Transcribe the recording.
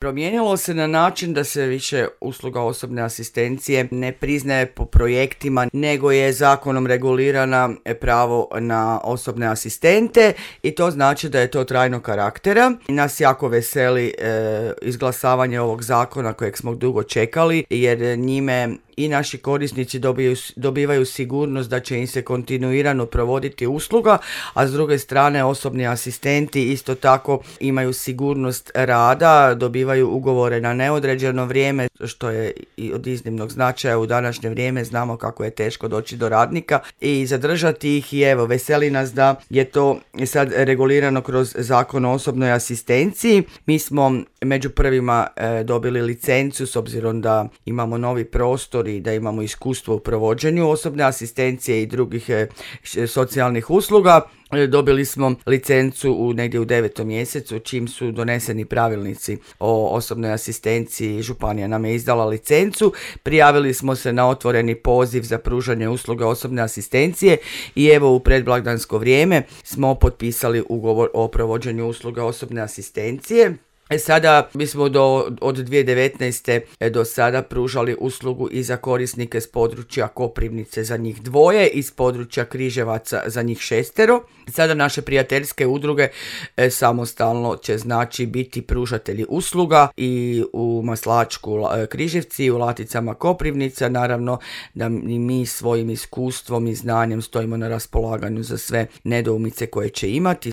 Promijenilo se na način da se više usluga osobne asistencije ne priznaje po projektima, nego je zakonom regulirana pravo na osobne asistente i to znači da je to trajnog karaktera. Nas jako veseli izglasavanje ovog zakona kojeg smo dugo čekali, jer njime i naši korisnici dobivaju sigurnost da će im se kontinuirano provoditi usluga, a s druge strane osobni asistenti isto tako imaju sigurnost rada, dobivaju ugovore na neodređeno vrijeme, što je i od iznimnog značaja u današnje vrijeme. Znamo kako je teško doći do radnika i zadržati ih, i evo, veseli nas da je to sad regulirano kroz Zakon o osobnoj asistenciji. Mi smo među prvima dobili licencu, s obzirom da imamo novi prostor i da imamo iskustvo u provođenju osobne asistencije i drugih socijalnih usluga. Dobili smo licencu negdje u 9. mjesecu, čim su doneseni pravilnici o osobnoj asistenciji. Županija nam je izdala licencu, prijavili smo se na otvoreni poziv za pružanje usluga osobne asistencije i evo u predblagdansko vrijeme smo potpisali ugovor o provođenju usluga osobne asistencije. Sada mi smo od 2019. do sada pružali uslugu i za korisnike s područja Koprivnice, za njih 2, iz područja Križevaca za njih 6. Sada naše prijateljske udruge samostalno će biti pružatelji usluga i u Maslačku Križevci, u Laticama Koprivnica. Naravno da mi svojim iskustvom i znanjem stojimo na raspolaganju za sve nedoumice koje će imati.